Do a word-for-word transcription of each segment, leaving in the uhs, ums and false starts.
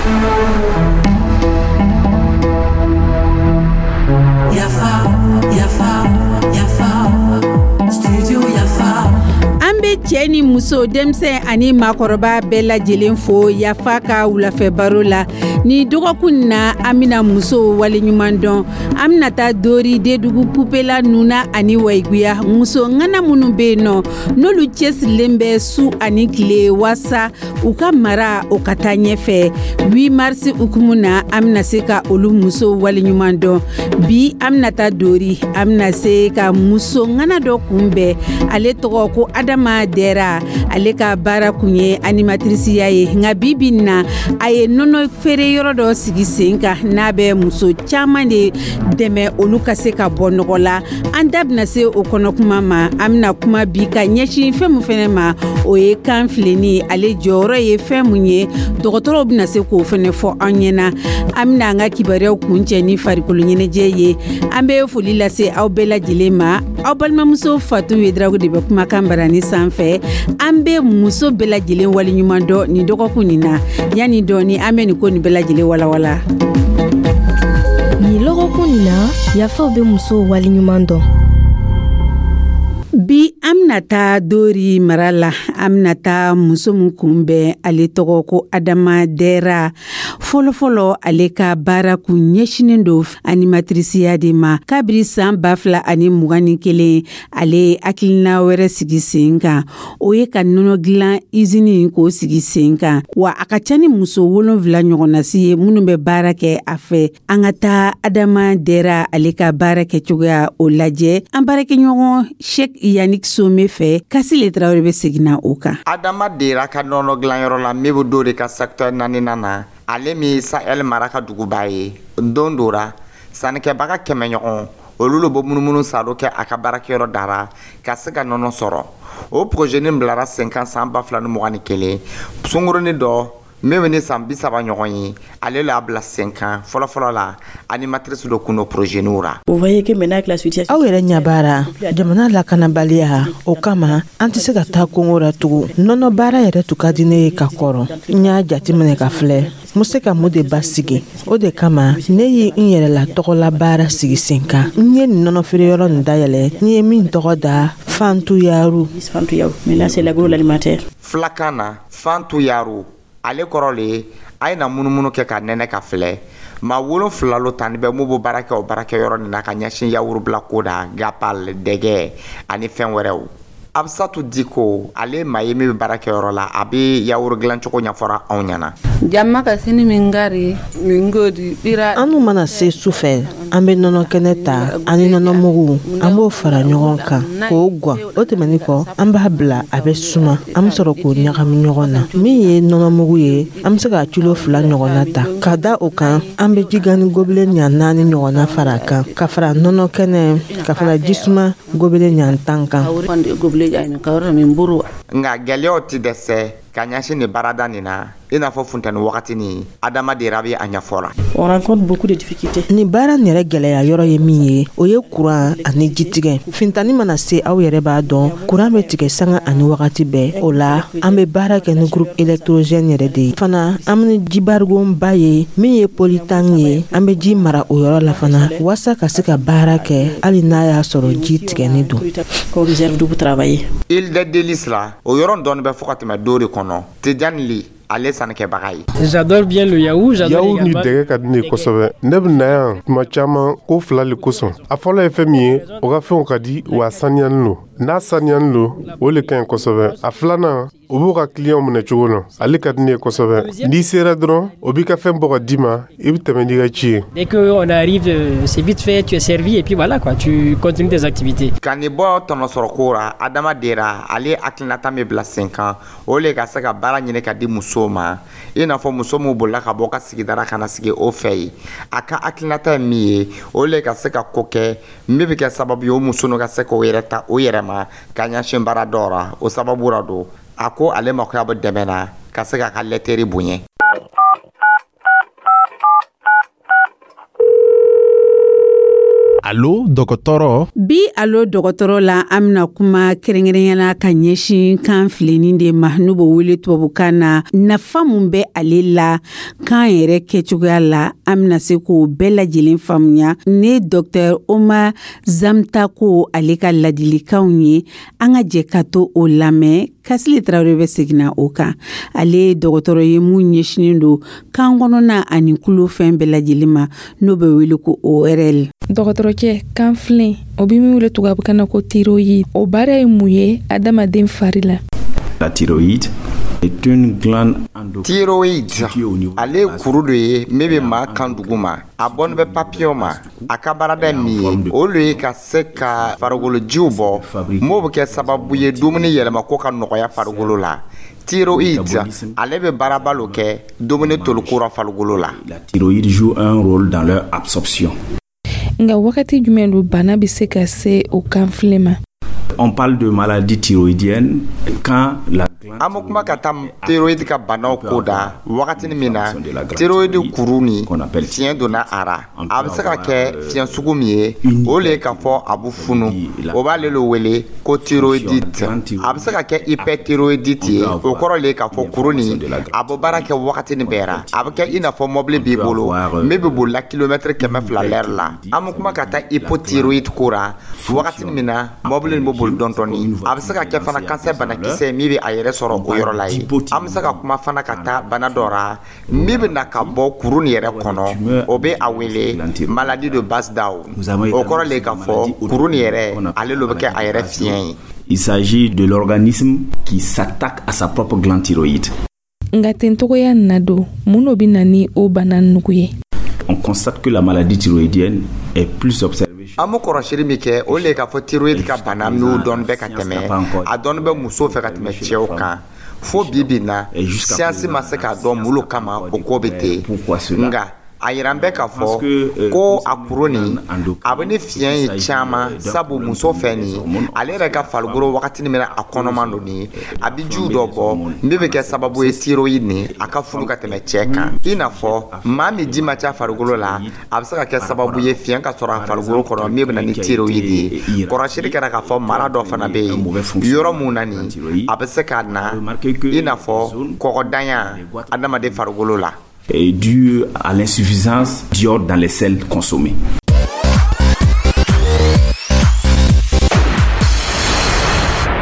Yafa, yafa, yafa, studio Yafa. An bɛ cɛ ni muso, denmisɛn ani maakɔrɔba bɛɛ lajɛlen fo Yafa ka wulafɛ baro la. Ni dɔgɔkun na, an bɛna musow waleɲuman dɔn. An bɛna taa Dori, Dedugu, Pupela, Nuna ani Wayiguya, muso ŋana minnu bɛ yen nɔ, n'olu cɛsirilen bɛ su ani tile waasa u ka mara o ka taa ɲɛfɛ. huit mars hukumu na, an bɛna se ka olu musow waleɲuman dɔn. Bi, an bɛna taa Dori, an bɛna se ka muso ŋana dɔ kunbɛn, ale tɔgɔ ko Adama Dɛra. Ale ka baara kun ye animatrice ye, nka bi bi na, a ye nɔnɔ feere yɔrɔ dɔ sigi sen kan, n'a bɛ muso caman de dɛmɛ olu ka se ka bɔ nɔgɔ la. An da bɛna se o kɔnɔ kuma ma. An bɛna kuma bi ka ɲɛsin fɛn min fɛnɛ ma, o ye kan filenni, ale jɔyɔrɔ ye fɛn mun ye, dɔgɔtɔrɔw bɛna se k'o fɛnɛ fɔ an ɲɛna. An bɛna an ka kibaruyaw kuncɛ ni farikolo ɲɛnajɛ ye. An bɛ foli lase aw bɛɛ lajɛlen ma. Aw balimamuso Fatu Yedrago de bɛ kumakan barani sanfɛ. An bɛ muso bɛɛ lajɛlen waleɲuman dɔn nin dɔgɔkun nin na. Yanni dɔɔni, an bɛ nin ko nin bɛɛ lajɛlen walawala. Nin lɔgɔkun nin na, Yafaw bɛ musow waleɲuman dɔn. Bi, an bɛna taa Dori mara la. An bɛna taa muso min kunbɛn, ale tɔgɔ ko Adama Dɛra. Fɔlɔfɔlɔ, ale ka baara kun ɲɛsinen don animatriceya de ma. Kabiri san ba fila ani mugan ni kelen, ale ye hakilina wɛrɛ sigi sen kan, o ye ka nɔnɔ dilan izini k'o sigi sen kan, wa a ka ca ni muso wolonfila ɲɔgɔnnasi ye minnu bɛ baara kɛ a fɛ. An ka taa Adama Dɛra, ale ka baara kɛcogoya o lajɛ an baarakɛɲɔgɔn Sheikh Yannick Some fɛ. Kasile Tarawele bɛ seginna o kan. Adama Dera ka nɔnɔ dilanyɔrɔ la min bɛ Dori ka secteur naaninan na, ale min Sahel mara ka duguba ye, don dɔ ra, sannikɛbaga kɛmɛ ɲɔgɔn, olu le bɛ munumunu salo kɛ a ka baarakɛyɔrɔ dara ka se ka nɔnɔ sɔrɔ. O projet nin bilara sen kan san ba fila ni mugan ni kelen. Sunkurunin dɔ min bɛ ni san bi saba ɲɔgɔn ye, ale l'a bila sen kan. Fɔlɔfɔlɔ la, animatrice dɔ kun do projet niw ra. Aw yɛrɛ ɲɛ b'a ra, jamana lakanabaliya o kama, an tɛ se ka taa kungo ra tugun. Nɔnɔ baara yɛrɛ tun ka di ne ye ka kɔrɔ. N y'a jateminɛ ka filɛ, n be se ka mun de basigi. O de kama ne ye n yɛrɛla tɔgɔla baara sigi sen kan. N ye nin nɔnɔ feereyɔrɔ nin dayɛlɛ, n ye min tɔgɔ da Fantu Yaru. Filakan na, Fantu Yaru, ale kɔrɔ le ye a ye na munumunu kɛ ka nɛnɛ ka filɛ. Maa wolonfila lo tani bɛ mun bɛ baara kɛ o baarakɛyɔrɔ nin na ka ɲɛsin yawurubila ko da, gapal, dɛgɛ ani fɛn wɛrɛw. Abisatu Diko, ale ye maa ye min bɛ baarakɛyɔrɔ la, a bɛ yawuru dilancogo ɲɛfɔra anw ɲɛna. Jamma ka sini min gari min godi ɓira. An mana se su fɛ, an bɛ nɔnɔ kɛnɛ ta ani nɔnɔmugu, an b'o fara ɲɔgɔn kan k'o gan. O tɛmɛnin kɔ, an b'a bila a bɛ suma, an bɛ sɔrɔ k'o ɲagami ɲɔgɔn na. Min ye nɔnɔmugu ye, an bɛ se ka kilo fila ɲɔgɔnna ta ka da o kan. An bɛ jigani gobelet ɲa naani ɲɔgɔnna fara a kan, ka fara nɔnɔ kɛnɛ, ka fara jisuma gobelet ɲa tan kan. Nka gɛlɛyaw tɛ dɛsɛ ka ɲɛsin nin baarada nin na, i n'a fɔ funtɛni wagati nin. Adama Dera bɛ a ɲɛfɔ la. Nin baara nin yɛrɛ gɛlɛya yɔrɔ ye min ye, o ye kuran ani jitigɛ. Funteni mana se, aw yɛrɛ b'a dɔn, kuran bɛ tigɛ sanga ani wagati bɛɛ. O la, an bɛ baara kɛ ni groupe électrogène yɛrɛ de ye fana. An bɛ jibarigonba ye min ye polytank ye, an bɛ ji mara o yɔrɔ la fana waasa ka se ka baara kɛ hali n'a y'a sɔrɔ ji tigɛni don. Île des Délices la, o yɔrɔ dɔɔni bɛ fɔ ka tɛmɛ Dori kɔnɔ. Tijani Li, ale sannikɛbaga ye. J'adore bien le yaourt, j'adore Yaourt ni également. dɛgɛ ka di ne ye kosɛbɛ. Ne bɛ na yan tuma caman ko fila le kosɔn. A fɔlɔ ye fɛn min ye, o ka fɛnw ka di, wa a saniyanin lo. N'a saniyanin lo, o le ka ɲi kosɛbɛ. A filanan, o b'u ka kiliyanw minɛ cogo lɔn, ale ka di ne ye kosɛbɛ. N'i sera dɔrɔn, o b'i ka fɛn bɔ ka d'i ma, i bɛ tɛmɛ n'i ka ci ye. Dès qu'on arrive, euh, c'est vite fait, tu es servi et puis voilà quoi, tu continues tes activités. Ka nin bɔ tɔnɔsɔrɔko ra, Adama Dera, ale hakilinata min bila sen kan, o le ka se ka baara ɲini ka di musow ma, i n'a fɔ muso min bolila ka bɔ ka sigidara ka na sigi o fɛ yen. A ka hakilinata ye min ye, o le ka se ka ko kɛ min bɛ kɛ sababu ye, o muso ninnu ka se k'o yɛrɛ ta o yɛrɛ ma ka ɲɛsin baara dɔw ra. O sababu ra don, a ko ale makoya bɛ dɛmɛ na ka se k'a ka laiterie bonya. Allo. Alo dɔgɔtɔrɔ. Bi Alo dɔgɔtɔrɔ la, an bɛna kuma kɛrɛnkɛrɛnya la ka ɲɛsin kan filenin de ma, n'u b'o wele tubabukan na. Nafa mun bɛ ale la kan yɛrɛ kɛcogoya la, an bɛna se k'o bɛɛ lajɛlen faamuya ne Docteur Omar Zamtako ale ka ladilikanw ye. An ka jɛ ka to o lamɛn. Kasili Tarawele bɛ seginna o kan. Ale ye dɔgɔtɔrɔ ye mun ɲɛsinen don kan kɔnɔna ani kulo fɛn bɛɛ lajɛlen ma, n'o bɛ wele ko O R L. Dɔgɔtɔrɔcɛ, kanfilen, o bɛ min wele tubabukan na ko thyroïde, o baara ye mun ye adamaden fari la? La thyroïde est une glande. Thyroïde, ale ye kuru dɔ ye min bɛ maa kan dugu ma. A bɔnin bɛ papillon ma. A ka baarada ye min ye, o le ye ka se ka farikolojiw bɔ m'o bɛ kɛ sababu ye dumuni yɛlɛmako ka nɔgɔya farikolo la. Thyroïde, ale bɛ baaraba lo kɛ dumuni toliko ra farikolo la. La thyroïde joue un rôle dans leur absorption. Nka wagati jumɛn don bana bɛ se ka se o kanfilen ma? On parle de maladie thyroïdienne quand la An bɛ kuma ka taa thyroïde ka banaw ko da wagatini min na thyroïde kuru ni fiɲɛ donna a ra. A bɛ se ka kɛ fiɲɛ sugu min ye, o le ye k'a fɔ a bɛ funu, o b'ale le wele ko thyroïdite. A bɛ se ka kɛ hyperthyroïdite ye, o kɔrɔ le ye k'a fɔ kuru nin a bɛ baara kɛ wagatini bɛɛ ra. A bɛ kɛ i n'a fɔ mɔbili b'i bolo min bɛ bolila kilomɛtiri kɛmɛ fila lɛri la. An bɛ kuma ka taa hypothyroïde ko ra wagatini min na mɔbili nin bɛ boli dɔɔni dɔɔni. A bɛ se ka kɛ fana cancer banakisɛ min bɛ a yɛrɛ sɔrɔ o yɔrɔ la ye. An bɛ se ka kuma fana ka taa bana dɔ ra min bɛ na ka bɔ kuru nin yɛrɛ kɔnɔ, o bɛ a wele maladie de Basedow. O kɔrɔ le k'a fɔ kuru nin yɛrɛ, ale lo bɛ kɛ a yɛrɛ fiɲɛ ye. Il s'agit de l'organisme qui s'attaque à sa propre glande thyroïde. Nka tencogoya na don, mun de bɛ na ni o bana nugu ye? On constate que la maladie thyroïdienne est plus observée. An bɛ kɔrɔsili min kɛ, o le ye k'a fɔ thyroïde ka bana n'o dɔɔni bɛ ka tɛmɛ, a dɔɔni bɛ muso fɛ ka tɛmɛ cɛw kan. Fo bi bi na, siyansi ma se k'a dɔn mun lo kama o ko bɛ ten. Nka a yira bɛ k'a fɔ ko a kuru nin, a bɛ ni fiɲɛ ye caman, sabu muso fɛ nin, ale yɛrɛ ka farikolo wagatini min na a kɔnɔman don nin, a bɛ jiw dɔ bɔ min bɛ kɛ sababu ye thyroïde nin a ka funu ka tɛmɛ cɛ kan. I n'a fɔ maa min ji ma ca farikolo la, a bɛ se ka kɛ sababu ye fiɲɛ ka sɔrɔ a farikolo kɔnɔ min bɛ na ni thyroïde ye. Kɔrɔsili kɛra k'a fɔ mara dɔ fana bɛ yen, yɔrɔ mun na nin a bɛ se ka na i n'a fɔ kɔgɔdanya adamaden farikolo la. Est dû à l'insuffisance d'iode dans les sels consommés.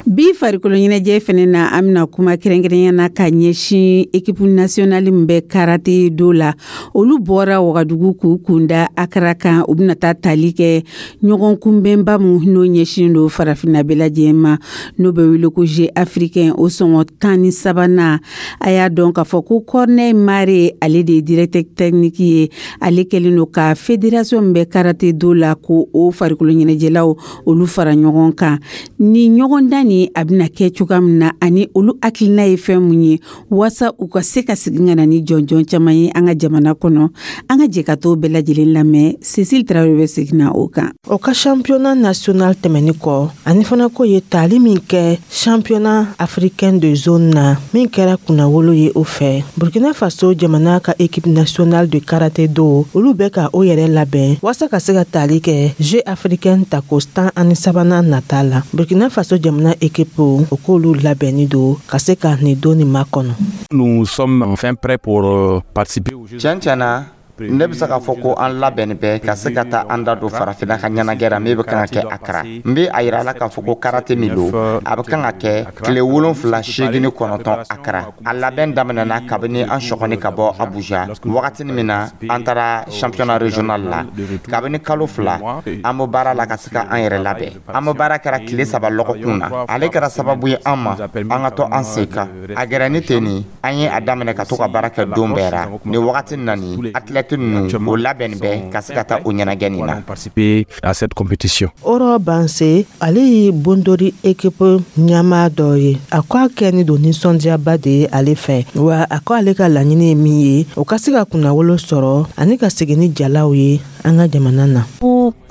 Bi farikolo ɲɛnajɛ fɛnɛ na, an bɛna kuma kɛrɛnkɛrɛnya na ka ɲɛsin équipe nationale min bɛ karaté do la. Olu bɔra Wagadugu k'u kunda Akara kan. U bɛna taa tali kɛ ɲɔgɔn kunbɛnba mun n'o ɲɛsin don farafinna bɛɛ lajɛlen ma, n'o bɛ wele ko Jeux africain, o sɔngɔ tan ni sabanan. A y'a dɔn k'a fɔ ko Corneille Mare, ale de ye directeur technique ye. Ale kɛlen don ka fédération min bɛ karaté do la, ko o farikolo ɲɛnajɛlaw olu fara ɲɔgɔn kan. Ni ɲɔgɔndan nin a bɛna kɛ cogoya min na, ani olu hakilina ye fɛn mun ye waasa u ka se ka segin ka na ni jɔnjɔn caman ye an ka jamana kɔnɔ, an ka jɛ ka t'o bɛɛ lajɛlen lamɛn. Cécile Tarawele bɛ segin na o kan. O ka championnat national tɛmɛni kɔ, ani fana ko ye tali min kɛ championnat africain de zone na min kɛra kunnawolo ye o fɛ Burkina Faso jamana ka équipe nationale de karaté do, olu bɛ ka o yɛrɛ labɛn waasa ka se ka tali kɛ Jeux africain tako tan ani sabanan nata la. Burkina Faso jamana équipe, o k'olu labɛnni don ka se ka nin don nin makɔnɔ. Nous sommes enfin prêts pour euh, participer aux Jeux. Tiɲɛ tiɲɛ na, ne bɛ se k'a fɔ ko an labɛnni bɛ ka se ka taa an da don farafinna ka ɲɛnajɛ la min bɛ kan ka kɛ Akara. N bɛ a yira a la k'a fɔ ko karate min don, a bɛ kan ka kɛ tile wolonfila, seegin ni kɔnɔntɔn Akara. A labɛn daminɛna kabini an sɔgɔni ka bɔ Abuja wagatini min na an taara championnat régional la. Kabini kalo fila an bɛ baara la ka se ka an yɛrɛ labɛn. An bɛ baara kɛra tile saba lɔgɔkun na. Ale kɛra sababu ye an ma an ka to an sen kan. A gɛrɛ ni ten nin, an ye a daminɛ ka to ka baara kɛ don bɛɛ ra. Nin wagati na nin, athlète ninnu o labɛnni bɛ ka se ka taa o ɲɛnajɛ nin na. Participer à cette compétition. Oro Banse, ale ye Bondori équipe ɲɛmaa dɔ ye. A ko a kɛni don nisɔndiyaba de ye ale fɛ, wa a ko ale ka laɲini ye min ye, o ka se ka kunnawolo sɔrɔ ani ka segin ni jalaw ye an ka jamana na.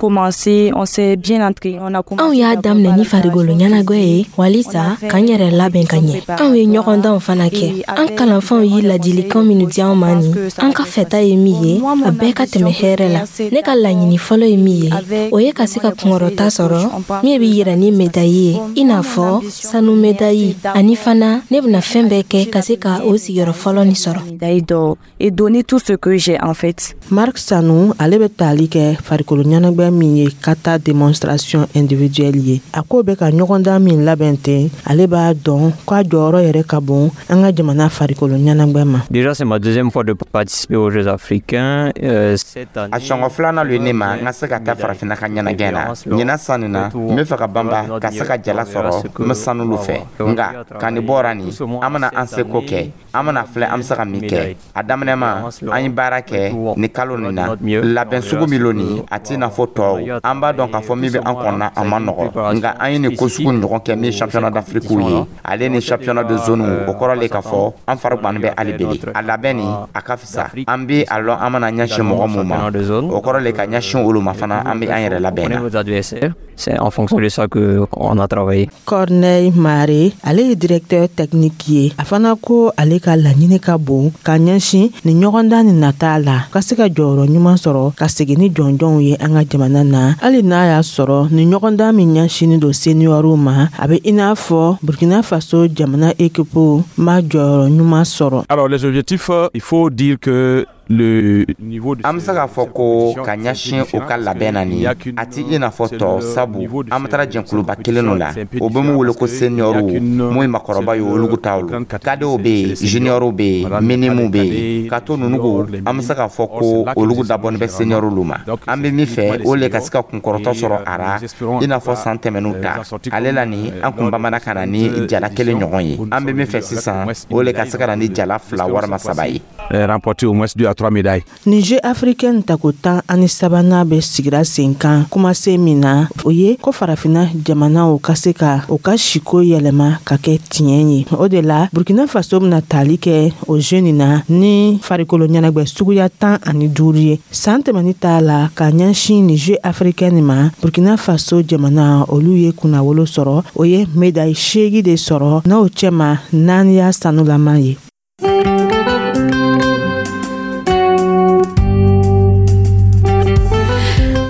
commencé, on s'est bien entraîné. On a Anw y'a daminɛ ni farigolo ɲɛnagwɛ ye walisa k'an yɛrɛ labɛn ka ɲɛ. Anw ye ɲɔgɔndanw fana kɛ. An kalanfanw ye ladilikan minnu di an ma nin, an ka fɛta ye min ye, a bɛɛ ka tɛmɛ hɛrɛ la. Ne ka laɲini fɔlɔ ye min ye, o ye ka se ka kunkɔrɔta sɔrɔ min bɛ yira ni medayi ye, i n'a fɔ sanu medayi, ani fana ne bɛna fɛn bɛɛ kɛ ka se ka o sigiyɔrɔ fɔlɔ nin sɔrɔ. Médaille d'or et donner tout ce que j'ai en fait. Marc Sanu, ale bɛ tali kɛ farikolo ɲɛnagwɛ min ye kata démonstration individuelle ye. A ko bɛ ka ɲɔgɔndan min labɛn ten, ale b'a dɔn k'a jɔyɔrɔ yɛrɛ ka bon an ka jamana farikolo ɲɛnagwɛ ma. Déjà, c'est ma deuxième fois de participer aux Jeux africains. Euh, cette année, A siɲɛ filanan lo ye ne ma n ka se ka taa Farafinna ka ɲɛnajɛ na. Ɲinan san nin na, n bɛ fɛ ka banba ka se ka jala sɔrɔ n bɛ sanu lu fɛ. Nka ka nin bɔra nin, an bɛna an seko kɛ, an bɛna filɛ an bɛ se ka min kɛ. A daminɛ ma, an ye baara kɛ nin kalo nin na. Labɛn sugu min lo nin, a t'i n'a fɔ tɔw. An b'a dɔn k'a fɔ min bɛ an kɔnɔ, a ma nɔgɔ, nka an ye nin ko sugu ɲɔgɔn kɛ min ye championnat d'Afrique ye, ale ni championnat de zone. O kɔrɔ le k'a fɔ an fari gbannen bɛ hali bele. A labɛn nin, a ka fisa. An bɛ a lɔn an mana ɲɛsin mɔgɔ mun ma, o kɔrɔ le ka ɲɛsin olu ma fana, an bɛ an yɛrɛ labɛn na. Nos adversaires, c'est en fonction de ça qu'on a travaillé. Corneille Mare, ale ye directeur technique ye. A fana ko ale ka laɲini ka bon ka ɲɛsin ni ɲɔgɔndan nin nata la, ka se ka jɔyɔrɔ ɲuman sɔrɔ ka segin ni jɔnjɔnw ye an ka jamana na, hali n'a y'a sɔrɔ ni ɲɔgɔndan min ɲɛsinin don seniorw ma, a bɛ i n'a fɔ Burkina Faso jamana ekipu ma jɔyɔrɔ ɲuman sɔrɔ. Alors les objectifs, il faut dire que le niveau de An bɛ se k'a fɔ ko ka ɲɛsin u ka labɛn na nin, a ti i n'a fɔ tɔ, sabu an bɛ taara jɛkuluba kelen lo la, o bɛ mun wele ko seniorw, mun ye makɔrɔba ye, olugu taw lo. Cadetw bɛ yen, juniorw bɛ yen, minimew bɛ yen, ka to nunugu. An bɛ se k'a fɔ ko olugu dabɔnin bɛ seniorw lu ma. An bɛ min fɛ, o le ka se ka kunkɔrɔtɔ sɔrɔ a ra, i n'a fɔ san tɛmɛnw ta. Ale la nin, an kun bamana ka na ni jala kelen ɲɔgɔn ye. An bɛ min fɛ sisan, o le ka se ka na ni jala fila walima saba ye. Remporter au moins deux à trois médailles. Ni Jeux africains tako tan ani sabanan bɛ sigira sen kan kumasen min na, o ye ko Farafinna jamanaw ka se ka u ka siko yɛlɛma ka kɛ tiɲɛ ye. O de la, Burkina Faso bɛna tali kɛ o jeu nin na ni farikolo ɲɛnagwɛ suguya tan ani duuru ye. San tɛmɛni t'a la ka ɲɛsin ni Jeux africains nin ma, Burkina Faso jamana, olu ye kunnawolo sɔrɔ. O ye médaille seegi de sɔrɔ, n'o cɛma naani y'a sanulama ye.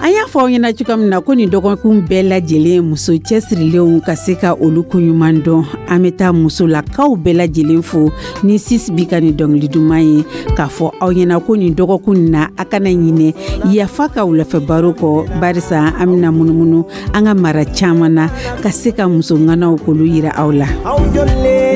An y'a fɔ aw ɲɛna cogoya min na ko nin dɔgɔkun bɛɛ lajɛlen, muso cɛsirilenw ka se ka olu koɲuman dɔn, an bɛ taa musolakaw bɛɛ lajɛlen fo ni sis bi ka nin dɔnkili duman ye, k'a fɔ aw ɲɛna ko nin dɔgɔkun nin na, a kana ɲinɛ Yafa ka wulafɛ baro kɔ, barisa an bɛna munumunu an ka mara caman na ka se ka muso ŋanaw k'olu yira aw la. Aw jɔlen.